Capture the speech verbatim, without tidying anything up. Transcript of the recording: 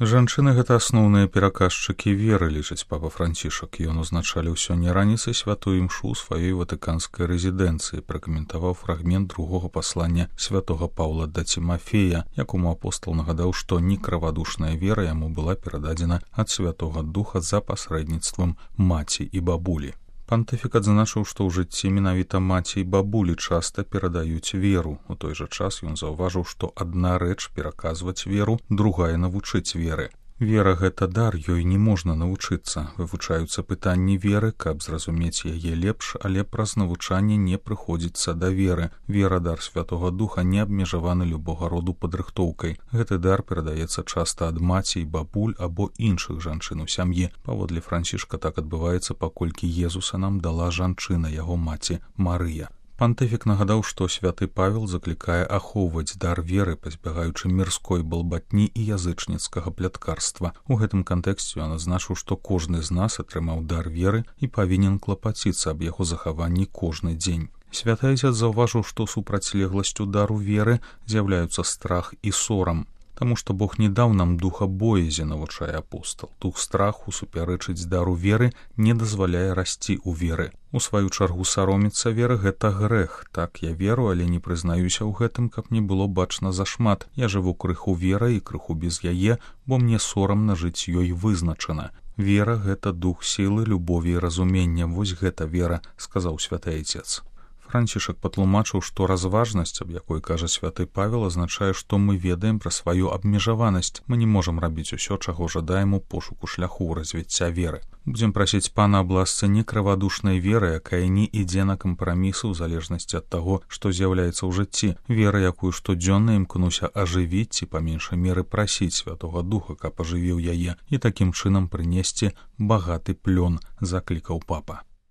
Жанчыны гэта асноўныя пераказчыкі веры, лічыць папа Францішак. Ён узначаліў сёння раніцай святую імшу сваёй ватыканскай рэзідэнцыі, пракаментаваў фрагмент другога паслання святога Паўла да Цімафея, якому апостол нагадаў, што некравадушная вера яму была перададзена ад Святога Духа за пасрэдніцтвам маці і бабулі. Пантыфік адзначыў, што ў жыцці менавіта маці і бабулі часта перадаюць веру. У той жа час ён заўважыў, што адна рэч пераказваць веру, другая навучыць веры. Вера — гэта дар, ёй не можна навучыцца. Вывучаюцца пытанні веры, каб зразумець яе лепш, але праз навучанне не прыходзіцца да веры. Вера, дар Святога Духа, не абмежаваны любога роду падрыхтоўкай. Гэты дар перадаецца часта ад маці і бабуль або іншых жанчын у сям'і. Паводле Францішка так адбываецца, паколькі Езуса нам дала жанчына, яго маці Марыя. Пантыфік нагадаў, што святы Павел заклікае ахоўваць дар веры, пазбягаючы мірской балбатні і язычніцкага пляткарства. У гэтым кантэксце ён адзначыў, што кожны з нас атрымаў дар веры і павінен клапаціцца аб яго захаванні кожны дзень. Святы Айцец заўважыў, што супрацьлегласцю дару веры з'яўляюцца страх і сорам. Таму што Бог не даў нам духа боязі, навучае апостол. Дух страху супярэчыць дару веры, не дазваляе расці ў веры. У сваю чаргу саромецца веры — гэта грэх. Так, я веру, але не прызнаюся ў гэтым, каб не было бачна зашмат. Я жыву крыху верай і крыху без яе, бо мне сорамна жыць ёй вызначана. Вера — гэта дух сілы, любові і разумення. Вось гэта вера, сказаў святы Айцец. Францішак патлумачыў, што разважнасць, аб якой кажа святы Павел, азначае, што мы ведаем пра сваю абмежаванасць. Мы не можам рабіць усё, чаго жадаем у пошуку шляху развіцця веры. Будзем прасіць Пана аб ласцы некравадушнай веры, якая не ідзе на кампрамісы ў залежнасці ад таго, што з'яўляецца ў жыцці. Вера, якую штодзённа імкнуся ажывіць ці па меншай меры прасіць Святога Духа, каб ажывіў яе, і такім чынам прынесці багаты плён, заклікаў папа.